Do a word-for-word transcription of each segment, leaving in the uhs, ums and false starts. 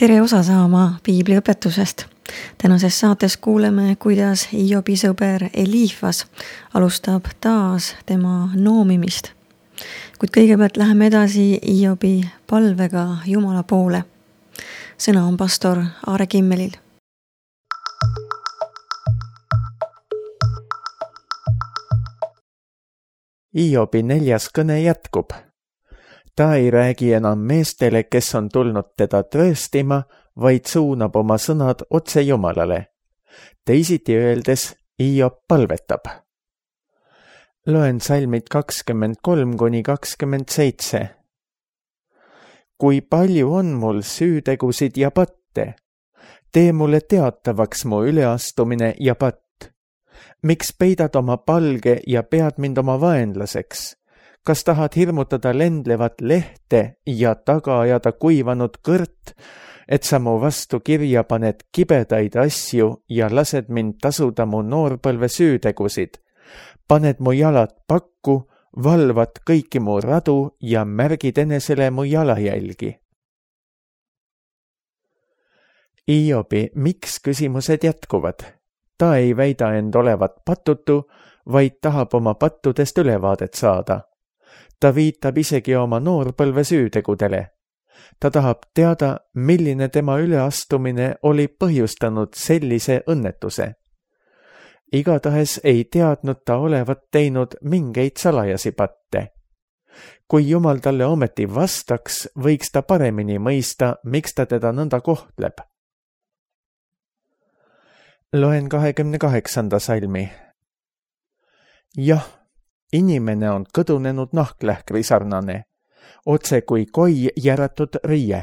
Tere osa saama piibliõpetusest. Tänases saates kuuleme, kuidas Hiobi sõber Eliifas alustab taas tema noomimist. Kuid kõigepealt läheme edasi Hiobi palvega Jumala poole. Sõna on pastor Aare Kimmelil. Hiobi neljas kõne jätkub. Ta ei räägi enam meestele, kes on tulnud teda trööstima, vaid suunab oma sõnad otse Jumalale. Teisiti öeldes, Hiob palvetab. Loen salmid kakskümmend kolm kuni kakskümmend seitse. Kui palju on mul süütegusid ja patte? Tee mulle teatavaks mu üleastumine ja patt. Miks peidad oma palge ja pead mind oma vaenlaseks? Kas tahad hirmutada lendlevat lehte ja taga ajada kuivanud kõrt, et sa mu vastu kirja paned kibedaid asju ja lased mind tasuda mu noorpõlve süütegusid? Paned mu jalad pakku, valvad kõiki mu radu ja märgid enesele mu jalajälgi. Hiobi, miks küsimused jätkuvad? Ta ei väida end olevat patutu, vaid tahab oma pattudest ülevaadet saada. Ta viitab isegi oma noorpõlve süütegudele. Ta tahab teada, milline tema üleastumine oli põhjustanud sellise õnnetuse. Igatahes ei teadnud ta olevat teinud mingeid salajasi patte. Kui Jumal talle ometi vastaks, võiks ta paremini mõista, miks ta teda nõnda kohtleb. Loen kahekümne kaheksanda salmi. Jah, inimene on kõdunenud nahklähkri sarnane, otse kui koi järatud riie.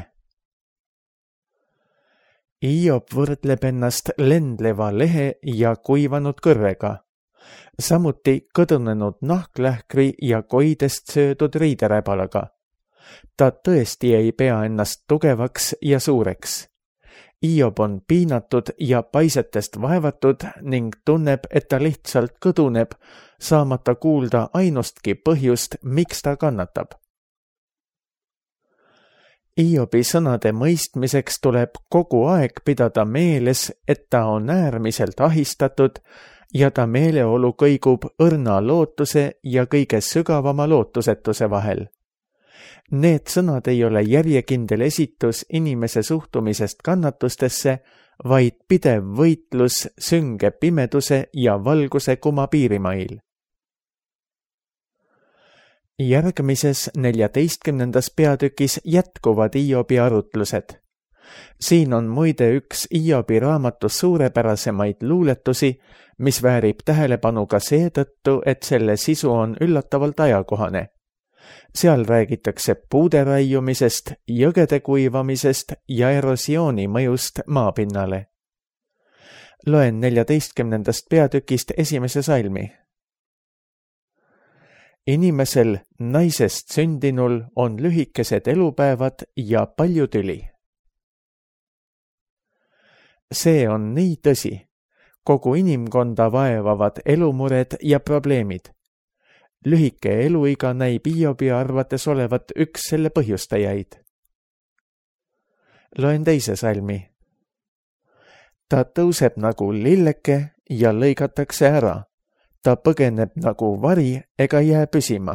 Hiob võrdleb ennast lendleva lehe ja kuivanud kõrrega, samuti kõdunenud nahklähkri ja koidest söödud riideräbalaga. Ta tõesti ei pea ennast tugevaks ja suureks. Hiob on piinatud ja paisetest vaevatud ning tunneb, et ta lihtsalt kõduneb, saamata kuulda ainustki põhjust, miks ta kannatab. Hiobi sõnade mõistmiseks tuleb kogu aeg pidada meeles, et ta on äärmiselt ahistatud ja ta meeleolu kõigub õrna lootuse ja kõige sügavama lootusetuse vahel. Need sõnad ei ole järjekindel esitus inimese suhtumisest kannatustesse, vaid pidev võitlus sünge pimeduse ja valguse kuma piirimail. Järgmises neljateistkümnendas peatükis jätkuvad Hiobi arutlused. Siin on muide üks Hiobi raamatus suurepärasemaid luuletusi, mis väärib tähelepanu ka seetõttu, et selle sisu on üllatavalt ajakohane. Seal räägitakse puude raiumisest, jõgede kuivamisest ja erosiooni mõjust maapinnale. Loen neljateistkümnendast peatükist esimese salmi. Inimesel, naisest sündinul on lühikesed elupäevad ja palju tüli. See on nii tõsi. Kogu inimkonda vaevavad elumured ja probleemid. Lühike eluiga näib Hiobi arvates olevat üks selle põhjustajaid. Loen teise salmi. Ta tõuseb nagu lilleke ja lõigatakse ära. Ta põgeneb nagu vari ega jää püsima.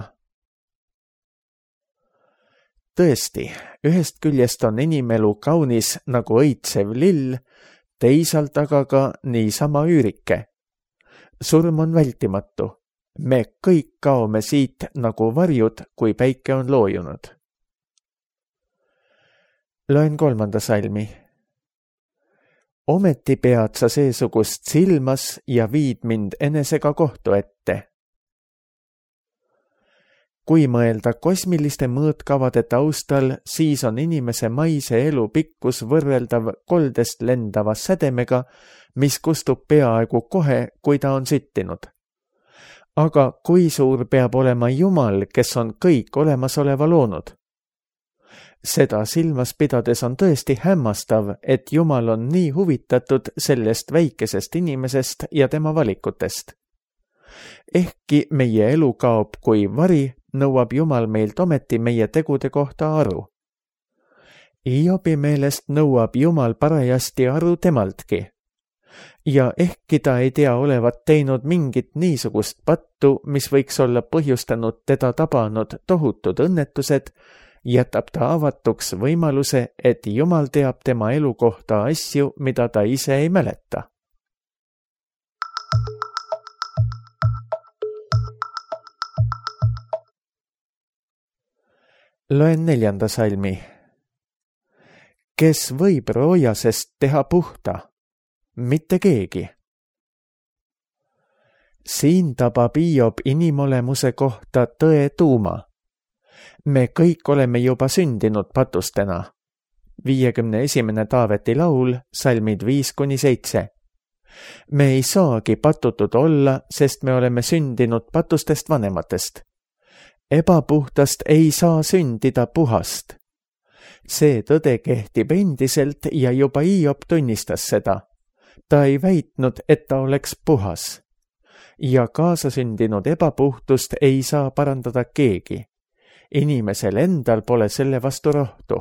Tõesti, ühest küljest on inimelu kaunis nagu õitsev lill, teisalt aga ka niisama üürike. Surm on vältimatu. Me kõik kaome siit nagu varjud, kui päike on loojunud. Loen kolmanda salmi. Ometi pead sa seesugust silmas ja viid mind enesega kohtu ette. Kui mõelda kosmiliste mõõtkavade taustal, siis on inimese maise elu pikkus võrreldav koldest lendava sädemega, mis kustub peaaegu kohe, kui ta on süttinud. Aga kui suur peab olema Jumal, kes on kõik olemasoleva loonud? Seda silmas pidades on tõesti hämmastav, et Jumal on nii huvitatud sellest väikesest inimesest ja tema valikutest. Ehkki meie elu kaob kui vari, nõuab Jumal meilt ometi meie tegude kohta aru. Hiobi meelest nõuab Jumal parajasti aru temaltki. Ja ehkki ta ei tea olevat teinud mingit niisugust pattu, mis võiks olla põhjustanud teda tabanud tohutud õnnetused, jätab ta avatuks võimaluse, et Jumal teab tema elu kohta asju, mida ta ise ei mäleta. Loen neljanda salmi. Kes võib roojasest teha puhta? Mitte keegi. Siin tabab Hiob inimolemuse kohta tõe tuuma. Me kõik oleme juba sündinud patustena. viiekümne esimene Taaveti laul, salmid viis kuni seitse. Me ei saagi patutud olla, sest me oleme sündinud patustest vanematest. Ebapuhtast ei saa sündida puhast. See tõde kehtib endiselt ja juba Hiob tunnistas seda. Ta ei väitnud, et ta oleks puhas. Ja kaasasündinud ebapuhtust ei saa parandada keegi. Inimesel endal pole selle vastu rohtu.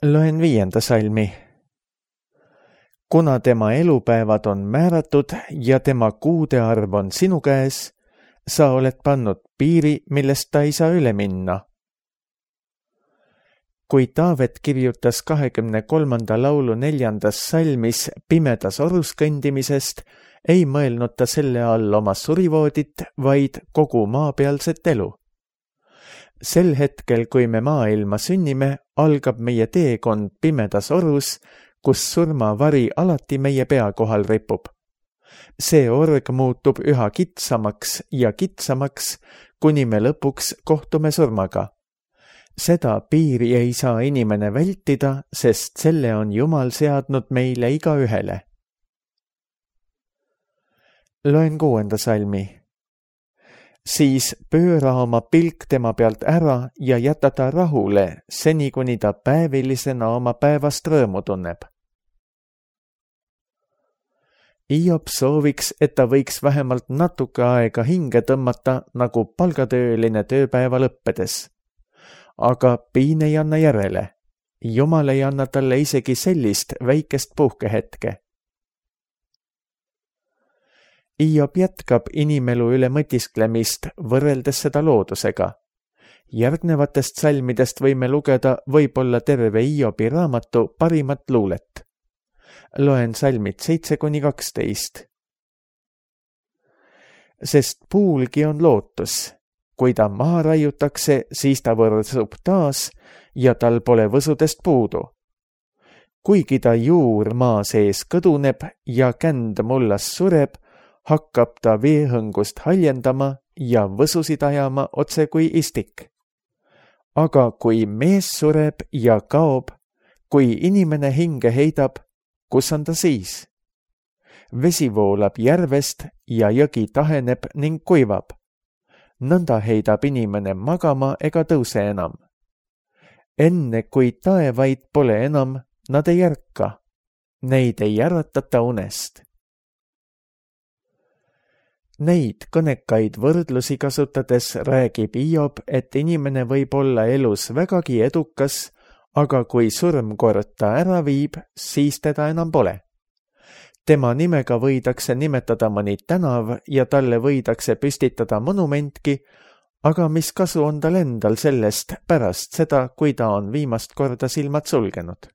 Loen viienda salmi. Kuna tema elupäevad on määratud ja tema kuude arv on sinu käes, sa oled pannud piiri, millest ta ei saa üle minna. Kui Taavet kirjutas kahekümne kolmanda laulu neljandas salmis pimedas orus kõndimisest, ei mõelnud ta selle all oma surivoodit, vaid kogu maapealset elu. Sel hetkel, kui me maailma sünnime, algab meie teekond pimedas orus, kus surmavari alati meie pea kohal ripub. See org muutub üha kitsamaks ja kitsamaks, kuni me lõpuks kohtume surmaga. Seda piiri ei saa inimene vältida, sest selle on Jumal seadnud meile igaühele. Loen kuuenda salmi. Siis pööra oma pilk tema pealt ära ja jäta ta rahule, seni kuni ta päevilisena oma päevast rõõmu tunneb. Hiob sooviks, et ta võiks vähemalt natuke aega hinge tõmmata nagu palgatööline tööpäeva lõppedes. Aga piin ei anna järele. Jumal ei anna talle isegi sellist väikest puhkehetke. Hiob jätkab inimelu üle mõtisklemist, võrreldes seda loodusega. Järgnevatest salmidest võime lugeda võib-olla terve Hiobi raamatu parimat luulet. Loen salmid seitse kuni kaksteist. Sest puulgi on lootus. Kui ta maha raiutakse, siis ta võrsub taas ja tal pole võsudest puudu. Kuigi ta juur maa sees kõduneb ja känd mullas sureb, hakkab ta veehõngust haljendama ja võsusid ajama otse kui istik. Aga kui mees sureb ja kaob, kui inimene hinge heidab, kus on ta siis? Vesi voolab järvest ja jõgi taheneb ning kuivab. Nõnda heidab inimene magama ega tõuse enam. Enne kui taevaid pole enam, nad ei ärka. Neid ei äratata unest. Neid kõnekaid võrdlusi kasutades räägib Hiob, et inimene võib olla elus vägagi edukas, aga kui surm kord ta ära viib, siis teda enam pole. Tema nimega võidakse nimetada mõni tänav ja talle võidakse püstitada monumentki, aga mis kasu on tal endal sellest pärast seda, kui ta on viimast korda silmad sulgenud.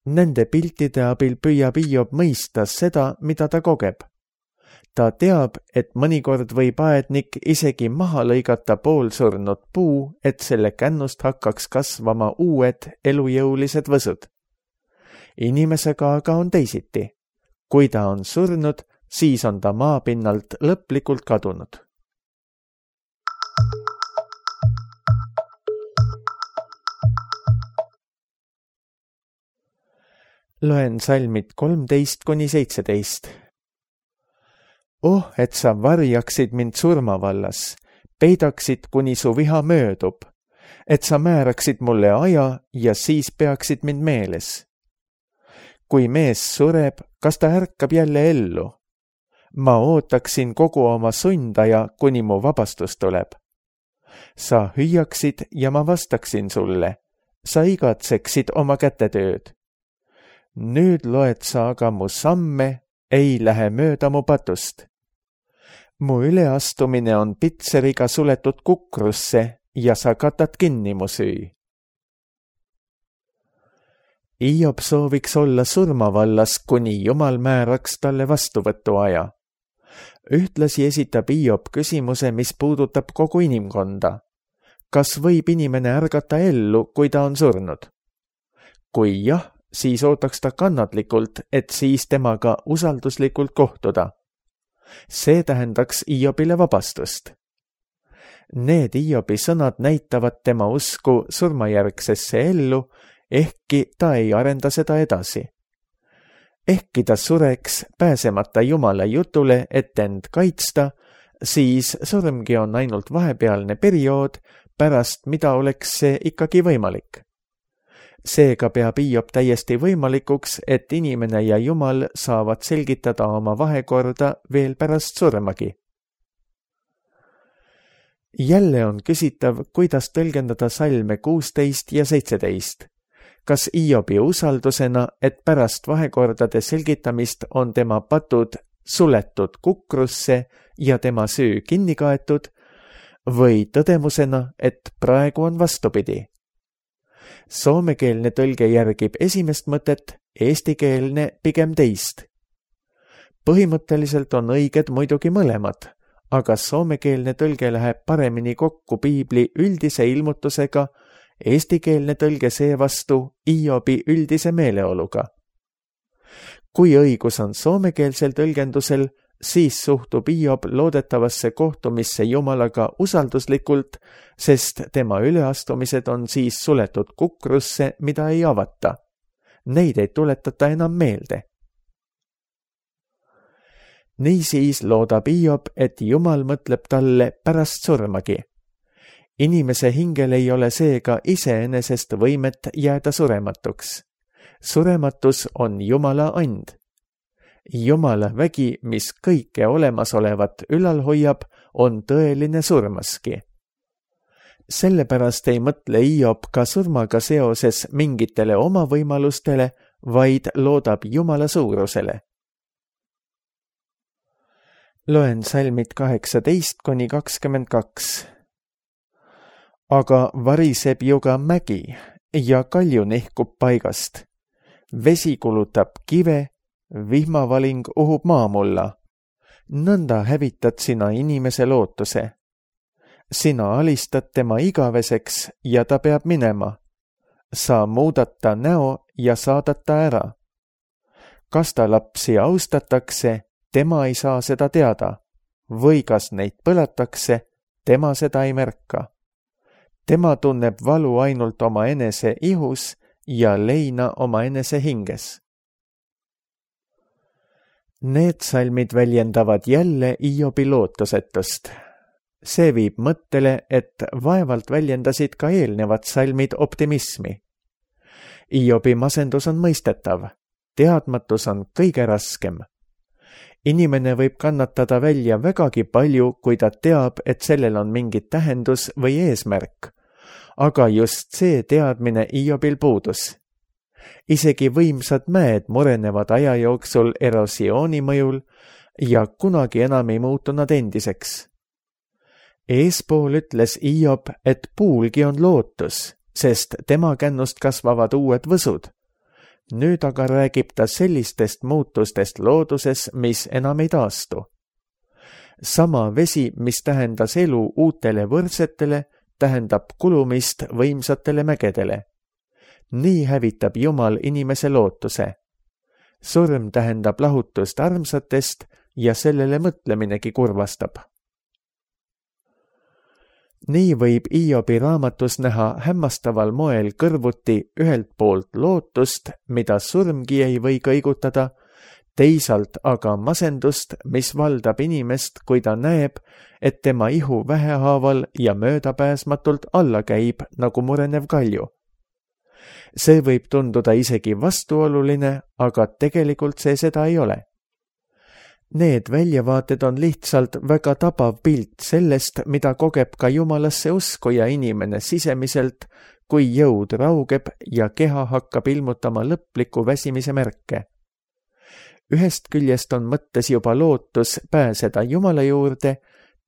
Nende piltide abil püüab Hiob mõista seda, mida ta kogeb. Ta teab, et mõnikord võib aednik isegi maha lõigata poolsurnud puu, et selle kännust hakkaks kasvama uued elujõulised võsud. Inimesega aga on teisiti. Kui ta on surnud, siis on ta maapinnalt lõplikult kadunud. Loen salmid kolmteist kuni seitseteist. Oh, et sa varjaksid mind surmavallas, peidaksid, kuni su viha möödub, et sa määraksid mulle aja ja siis peaksid mind meeles. Kui mees sureb, kas ta ärkab jälle ellu? Ma ootaksin kogu oma sundaja, kuni mu vabastus tuleb. sa hüüaksid ja ma vastaksin sulle, sa igatseksid oma kätetööd. Nüüd loed sa aga mu samme, ei lähe mööda mu patust. Mu üleastumine on pitseriga suletud kukrusse ja sa katad kinni mu süü. Hiob sooviks olla surmavallas, kuni Jumal määraks talle vastuvõtuaja. Ühtlasi esitab Hiob küsimuse, mis puudutab kogu inimkonda. Kas võib inimene ärgata ellu, kui ta on surnud? Kui jah, siis ootaks ta kannatlikult, et siis temaga usalduslikult kohtuda. See tähendaks Hiobile vabastust. Need Hiobi sõnad näitavad tema usku surmajärgsesse ellu, ehkki ta ei arenda seda edasi. Ehkki ta sureks pääsemata Jumala jutule, et end kaitsta, siis surmgi on ainult vahepealne periood, pärast mida oleks see ikkagi võimalik. Seega peab Hiob täiesti võimalikuks, et inimene ja Jumal saavad selgitada oma vahekorda veel pärast surmagi. Jälle on küsitav, kuidas tõlgendada salme kuusteist ja seitseteist. Kas Hiobi usaldusena, et pärast vahekordade selgitamist on tema patud suletud kukrusse ja tema süü kinni kaetud, või tõdemusena, et praegu on vastupidi. Soomekeelne tõlge järgib esimest mõtet, eestikeelne pigem teist. Põhimõtteliselt on õiged muidugi mõlemad, aga soomekeelne tõlge läheb paremini kokku piibli üldise ilmutusega, eestikeelne tõlge seevastu Hiobi üldise meeleoluga. Kui õigus on soomekeelsel tõlgendusel, siis suhtub Hiob loodetavasse kohtumisse Jumalaga usalduslikult, sest tema üleastumised on siis suletud kukrusse, mida ei avata. Neid ei tuletata enam meelde. Niisiis loodab Hiob, et Jumal mõtleb talle pärast surmagi. Inimese hingel ei ole seega iseenesest võimet jääda surematuks. Surematus on Jumala and. Jumala vägi, mis kõike olemasolevat ülal hoiab, on tõeline surmaski. Sellepärast ei mõtle Hiob ka surmaga seoses mingitele oma võimalustele, vaid loodab Jumala suurusele. Loen salmid kaheksateist kuni kakskümmend kaks. Aga variseb ju ka mägi ja kalju nihkub paigast. Vesi kulutab kive, vihmavaling uhub maamulla. Nõnda hävitad sina inimese lootuse. Sina alistad tema igaveseks ja ta peab minema. Sa muudad ta näo ja saadad ta ära. Kas ta lapsi austatakse, tema ei saa seda teada. Või kas neid põlatakse, tema seda ei märka. Tema tunneb valu ainult oma enese ihus ja leina oma enese hinges. Need salmid väljendavad jälle Hiobi lootusetust. See viib mõttele, et vaevalt väljendasid ka eelnevad salmid optimismi. Hiobi masendus on mõistetav. Teadmatus on kõige raskem. Inimene võib kannatada välja vägagi palju, kui ta teab, et sellel on mingi tähendus või eesmärk. Aga just see teadmine Hiobil puudus. Isegi võimsad mäed murenevad aja jooksul erosiooni mõjul ja kunagi enam ei muutu nad endiseks. Eespool ütles Hiob, et puulgi on lootus, sest tema kännust kasvavad uued võsud. Nüüd aga räägib ta sellistest muutustest looduses, mis enam ei taastu. Sama vesi, mis tähendas elu uutele võrdsetele, tähendab kulumist võimsatele mägedele. Nii hävitab Jumal inimese lootuse. Surm tähendab lahutust armsatest ja sellele mõtleminegi kurvastab. Nii võib Hiobi raamatus näha hämmastaval moel kõrvuti ühelt poolt lootust, mida surmgi ei või kõigutada, teisalt aga masendust, mis valdab inimest, kui ta näeb, et tema ihu vähehaaval ja möödapääsmatult alla käib nagu murenev kalju. See võib tunduda isegi vastuoluline, aga tegelikult see seda ei ole. Need väljavaated on lihtsalt väga tabav pilt sellest, mida kogeb ka Jumalasse uskuja inimene sisemiselt, kui jõud raugeb ja keha hakkab ilmutama lõpliku väsimise märke. Ühest küljest on mõttes juba lootus pääseda Jumala juurde,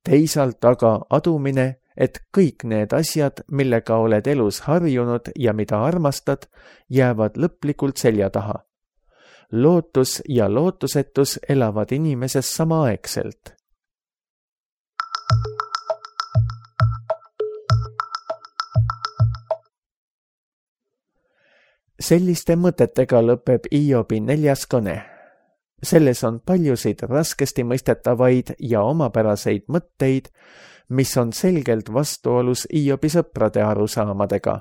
teisalt aga adumine, et kõik need asjad, millega oled elus harjunud ja mida armastad, jäävad lõplikult selja taha. Lootus ja lootusetus elavad inimeses samaaegselt. Selliste mõtetega lõpeb Hiobi neljas kõne. Selles on paljusid raskesti mõistetavaid ja omapäraseid mõtteid, mis on selgelt vastuolus Hiobi sõprade arusaamadega.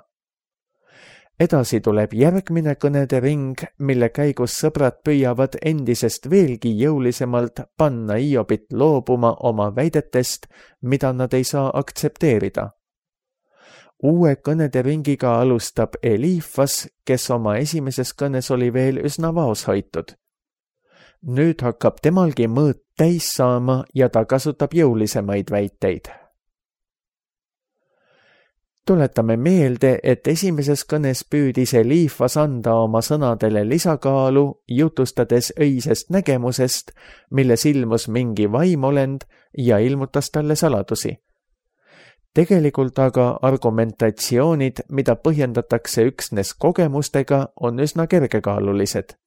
Edasi tuleb järgmine kõnede ring, mille käigus sõbrad püüavad endisest veelgi jõulisemalt panna Hiobit loobuma oma väidetest, mida nad ei saa aktsepteerida. Uue kõnede ringiga alustab Eliifas, kes oma esimeses kõnes oli veel üsna vaoshoitud. Nüüd hakkab temalgi mõõt täis saama ja ta kasutab jõulisemaid väiteid. Tuletame meelde, et esimeses kõnes püüdis Eliifas anda oma sõnadele lisakaalu, jutustades öisest nägemusest, milles ilmus mingi vaimolend ja ilmutas talle saladusi. Tegelikult aga argumentatsioonid, mida põhjendatakse üksnes kogemustega, on üsna kergekaalulised.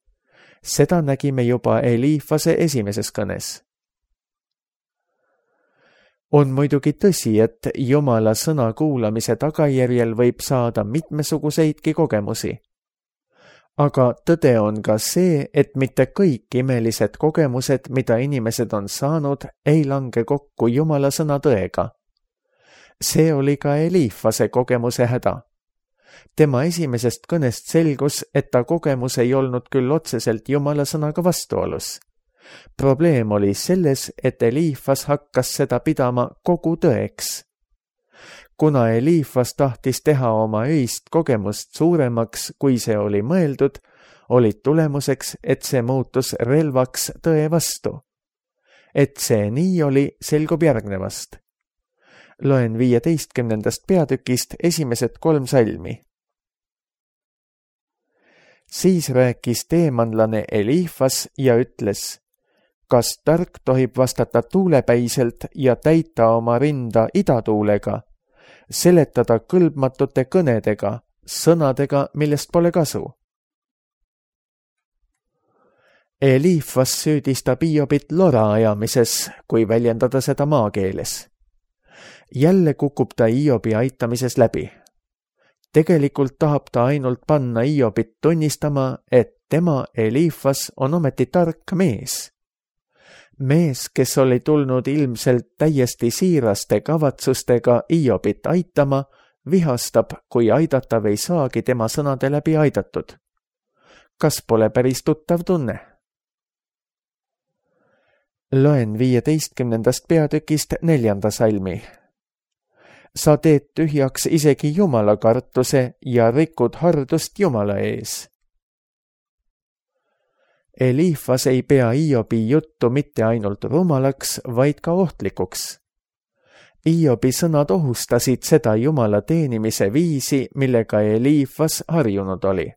Seda nägime juba Eliifase esimeses kõnes. On muidugi tõsi, et Jumala sõna kuulamise tagajärjel võib saada mitmesuguseidki kogemusi. Aga tõde on ka see, et mitte kõik imelised kogemused, mida inimesed on saanud, ei lange kokku Jumala sõna tõega. See oli ka Eliifase kogemuse häda. Tema esimesest kõnest selgus, et ta kogemus ei olnud küll otseselt Jumala sõnaga vastuolus. Probleem oli selles, et Eliifas hakkas seda pidama kogu tõeks. Kuna Eliifas tahtis teha oma öist kogemust suuremaks, kui see oli mõeldud, olid tulemuseks, et see muutus relvaks tõe vastu. Et see nii oli, selgub järgnevast. Loen viieteistkümnendast peatükist esimesed kolm salmi. Siis rääkis teemanlane Eliifas ja ütles, kas tark tohib vastata tuulepäiselt ja täita oma rinda idatuulega, seletada kõlbmatute kõnedega, sõnadega, millest pole kasu. Eliifas süüdistab Hiobit lora ajamises, kui väljendada seda maakeeles. Jälle kukub ta Hiobi aitamises läbi. Tegelikult tahab ta ainult panna Hiobit tunnistama, et tema Eliifas on ometi tark mees. Mees, kes oli tulnud ilmselt täiesti siiraste kavatsustega Hiobit aitama, vihastab, kui aidatav ei saagi tema sõnade läbi aidatud. Kas pole päris tuttav tunne? Loen viieteistkümnendast peatükist neljanda salmi. Sa teed tühjaks isegi Jumala kartuse ja rikud hardust Jumala ees. Eliifas ei pea Hiobi juttu mitte ainult rumalaks, vaid ka ohtlikuks. Hiobi sõnad ohustasid seda Jumala teenimise viisi, millega Eliifas harjunud oli.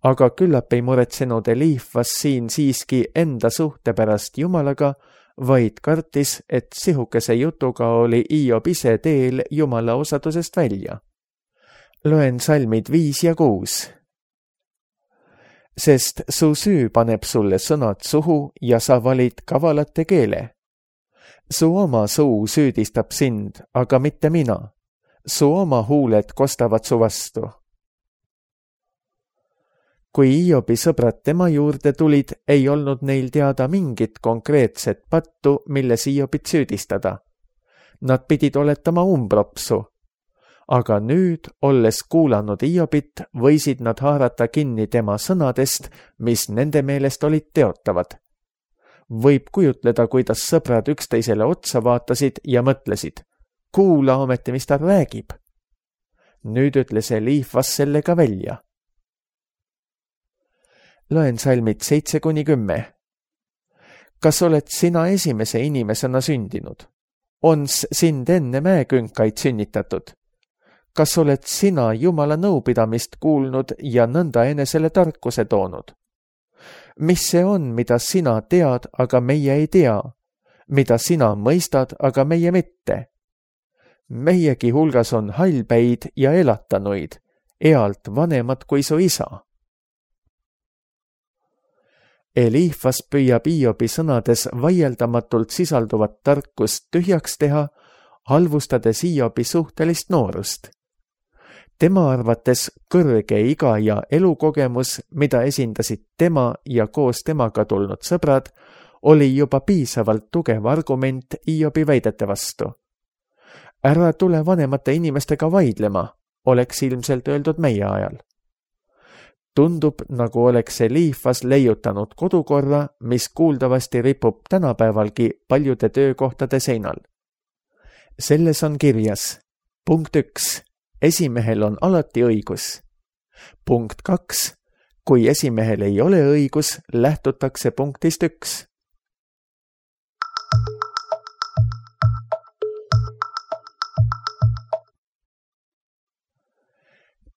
Aga küllap ei muretsenud Eliifas siin siiski enda suhte pärast Jumalaga, vaid kartis, et sihukese jutuga oli Hiob ise teel Jumala osadusest välja. Loen salmid viis ja kuus. Sest su süü paneb sulle sõnad suhu ja sa valid kavalate keele. Su oma suu süüdistab sind, aga mitte mina. Su oma huuled kostavad su vastu. Kui Hiobi sõbrad tema juurde tulid, ei olnud neil teada mingit konkreetset pattu, milles Hiobit süüdistada. Nad pidid oletama umbropsu. Aga nüüd, olles kuulanud Hiobit, võisid nad haarata kinni tema sõnadest, mis nende meelest olid teotavad. Võib kujutleda, kuidas sõbrad üksteisele otsa vaatasid ja mõtlesid, kuula ometi, mis ta räägib. Nüüd ütles Eliifas selle ka välja. Loen salmid seitse kuni kümme. kas oled sina esimese inimesena sündinud? Ons sind enne mäekünkaid sünnitatud? Kas oled sina Jumala nõupidamist kuulnud ja nõnda enesele tarkuse toonud? Mis see on, mida sina tead, aga meie ei tea? Mida sina mõistad, aga meie mitte? Meiegi hulgas on hallpäid ja elatanuid, ealt vanemad kui su isa. Eliifas püüab Hiobi sõnades vaieldamatult sisalduvat tarkust tühjaks teha, halvustades Hiobi suhtelist noorust. Tema arvates kõrge iga ja elukogemus, mida esindasid tema ja koos temaga tulnud sõbrad, oli juba piisavalt tugev argument Hiobi väidete vastu. Ära tule vanemate inimestega vaidlema, oleks ilmselt öeldud meie ajal. Tundub, nagu oleks Eliifas leiutanud kodukorra, mis kuuldavasti ripub tänapäevalgi paljude töökohtade seinal. Selles on kirjas: punkt üks. Esimehel on alati õigus. Punkt kaks. Kui esimehel ei ole õigus, lähtutakse punktist üks.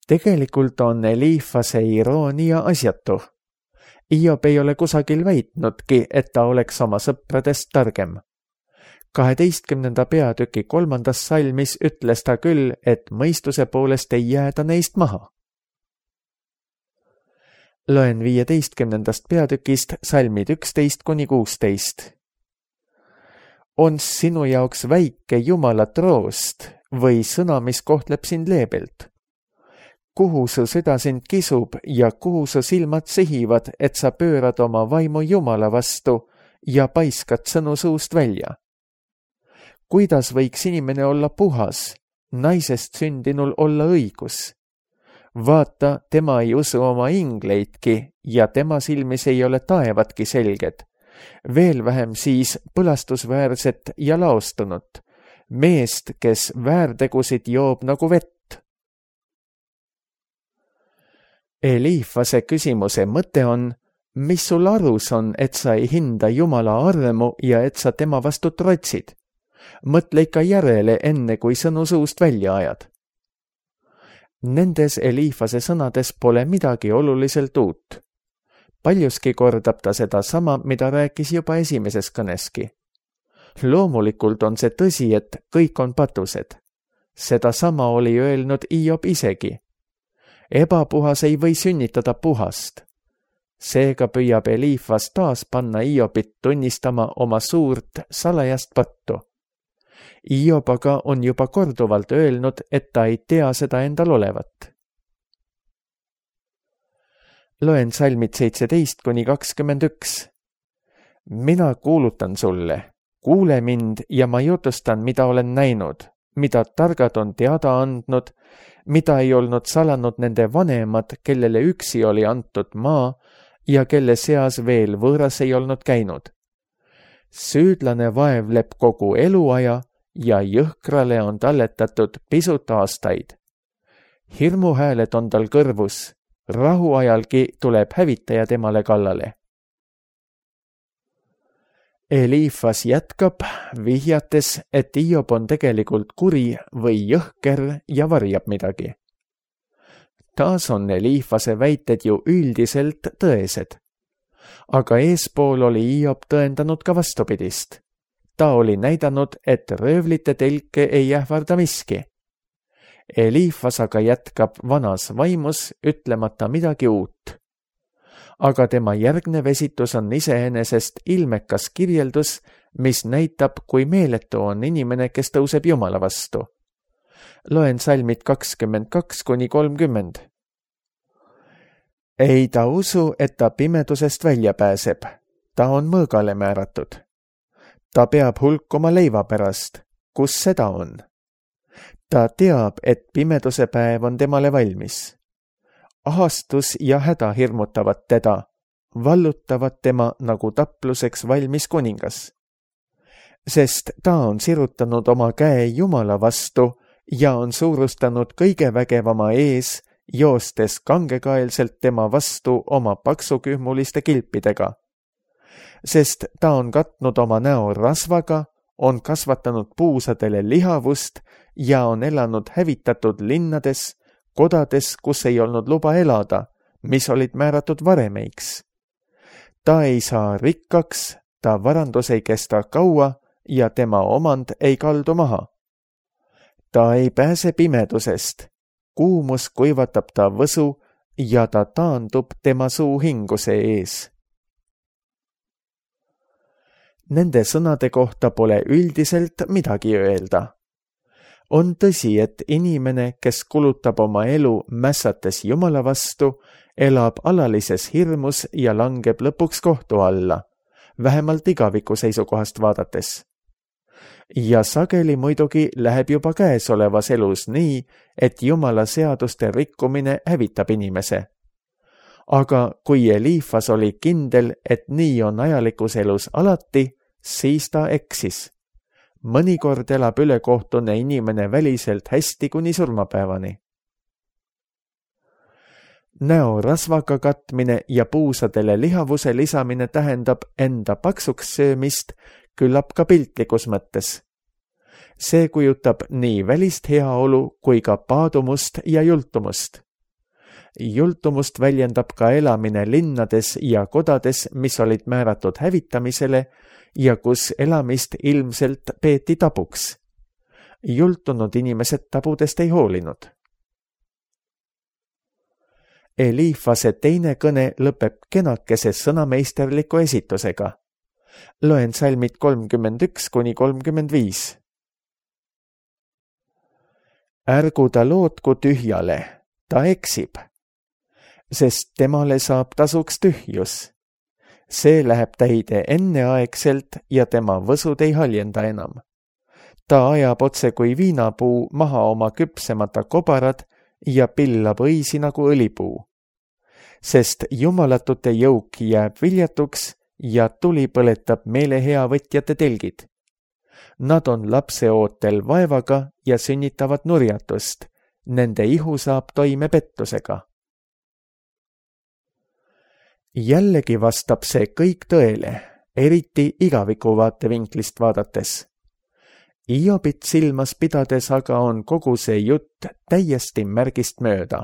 Tegelikult on Eliifase iroonia asjatu. Hiob ei ole kusagil väitnudki, et ta oleks oma sõpradest targem. kaheteistkümnenda peatüki kolmandas salmis ütles ta küll, et mõistuse poolest ei jääda neist maha. Loen viieteistkümnendast peatükist salmid üksteist kuni kuusteist. On sinu jaoks väike Jumala troost või sõna, mis kohtleb sind leebelt? Kuhu su süda sind kisub ja kuhu su silmad sihivad, et sa pöörad oma vaimu Jumala vastu ja paiskad sõnu suust välja? Kuidas võiks inimene olla puhas, naisest sündinul olla õigus? Vaata, tema ei usu oma ingleidki ja tema silmis ei ole taevatki selged. Veel vähem siis põlastusväärset ja laostunut, meest, kes väärtegusid joob nagu vett. Eliifase küsimuse mõte on, mis sul arus on, et sa ei hinda Jumala armu ja et sa tema vastu trotsid? Mõtle ikka järele, enne kui sõnu suust välja ajad. Nendes Eliifase sõnades pole midagi oluliselt uut. Paljuski kordab ta seda sama, mida rääkis juba esimeses kõneski. Loomulikult on see tõsi, et kõik on patused. Seda sama oli öelnud Hiob isegi. Ebapuhas ei või sünnitada puhast. Seega püüab Eliifas taas panna Hiobit tunnistama oma suurt salajast pattu. Hiob aga on juba korduvalt öelnud, et ta ei tea seda endal olevat. Loen salmid seitseteist kuni kakskümmend üks. Mina kuulutan sulle, kuule mind ja ma jutustan, mida olen näinud, mida targad on teada andnud, mida ei olnud salanud nende vanemad, kellele üksi oli antud maa ja kelle seas veel võõras ei olnud käinud. Süüdlane vaevleb kogu eluaja ja jõhkrale on talletatud pisut aastaid. Hirmuhääled on tal kõrvus, rahuajalgi tuleb hävitaja temale kallale. Eliifas jätkab, vihjates, et Hiob on tegelikult kuri või jõhker ja varjab midagi. Taas on Eliifase väited ju üldiselt tõesed. Aga eespool oli Hiob tõendanud ka vastupidist. Ta oli näidanud, et röövlite telke ei ähvarda miski. Eliifas aga jätkab vanas vaimus, ütlemata midagi uut. Aga tema järgnev esitus on iseenesest ilmekas kirjeldus, mis näitab, kui meeletu on inimene, kes tõuseb Jumala vastu. Loen salmid kakskümmend kaks kuni kolmkümmend. Ei ta usu, et ta pimedusest välja pääseb. Ta on mõõgale määratud. Ta peab hulkuma leiva pärast. Kus seda on? Ta teab, et pimeduse päev on temale valmis. Ahastus ja häda hirmutavad teda, vallutavad tema nagu tapluseks valmis kuningas. Sest ta on sirutanud oma käe Jumala vastu ja on suurustanud kõige vägevama ees, joostes kangekaelselt tema vastu oma paksukühmuliste kilpidega. sest ta on katnud oma näo rasvaga, on kasvatanud puusadele lihavust ja on elanud hävitatud linnades, kodades, kus ei olnud luba elada, mis olid määratud varemeiks. Ta ei saa rikkaks, ta varandus ei kesta kaua ja tema omand ei kaldu maha. Ta ei pääse pimedusest, kuumus kuivatab ta võsu ja ta taandub tema suu hinguse ees. Nende sõnade kohta pole üldiselt midagi öelda. On tõsi, et inimene, kes kulutab oma elu mässates Jumala vastu, elab alalises hirmus ja langeb lõpuks kohtu alla, vähemalt igaviku seisukohast vaadates. Ja sageli muidugi läheb juba käesolevas elus nii, et Jumala seaduste rikkumine hävitab inimese. Aga kui Eliifas oli kindel, et nii on ajalikus elus alati, siis ta eksis. Mõnikord elab ülekohtune inimene väliselt hästi kuni surmapäevani. Näo rasvaga katmine ja puusadele lihavuse lisamine tähendab enda paksuks söömist, küllap ka piltlikus mõttes. See kujutab nii välist heaolu kui ka paadumust ja jultumust. Jultumust väljendab ka elamine linnades ja kodades, mis olid määratud hävitamisele ja kus elamist ilmselt peeti tabuks. Jultunud inimesed tabudest ei hoolinud. Eliifase teine kõne lõpeb kenakese sõnameisterliku esitusega. Loen salmid kolmkümmend üks kuni kolmkümmend viis. Ärgu ta lootku tühjale, ta eksib, sest temale saab tasuks tühjus. See läheb täide enneaegselt ja tema võsud ei haljenda enam. Ta ajab otse kui viinapuu maha oma küpsemata kobarad ja pillab õisi nagu õlipuu. Sest jumalatute jõuk jääb viljatuks ja tuli põletab meeleheavõtjate telgid. Nad on lapseootel vaevaga ja sünnitavad nurjatust. Nende ihu saab toime pettusega. Jällegi vastab see kõik tõele, eriti igaviku vaatevinklist vaadates. Iobit silmas pidades aga on kogu see jutt täiesti märgist mööda.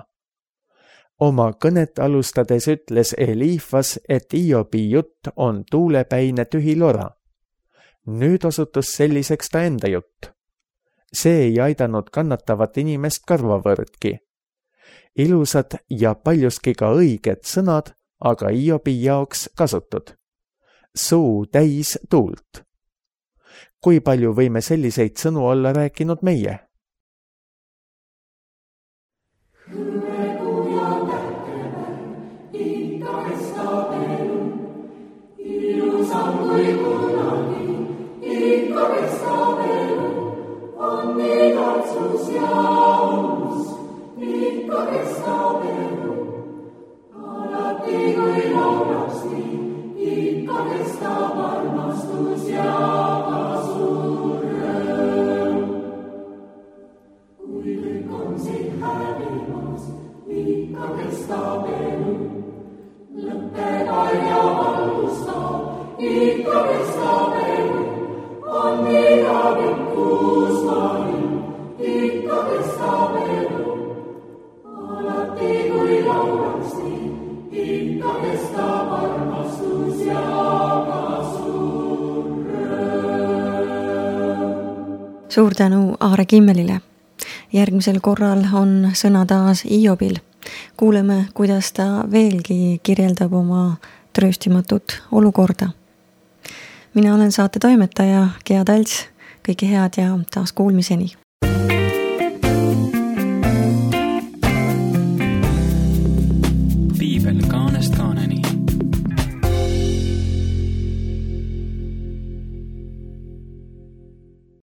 Oma kõnet alustades ütles Eliifas, et Iobi jutt on tuulepäine tühi lora. Nüüd osutus selliseks ta enda jutt. See ei aidanud kannatavat inimest karvavõrdki. Ilusad ja paljuski ka õiged sõnad, aga Iobi jaoks kasutud. Suu täis tuult. Kui palju võime selliseid sõnu olla rääkinud meie? Suur tänu Aare Kimmelile. Järgmisel korral on sõna taas Iobil. Kuuleme, kuidas ta veelgi kirjeldab oma trööstimatut olukorda. Mina olen saate toimetaja Gea Talts. Kõike head ja taas kuulmiseni. Piibel kaanest kaanest.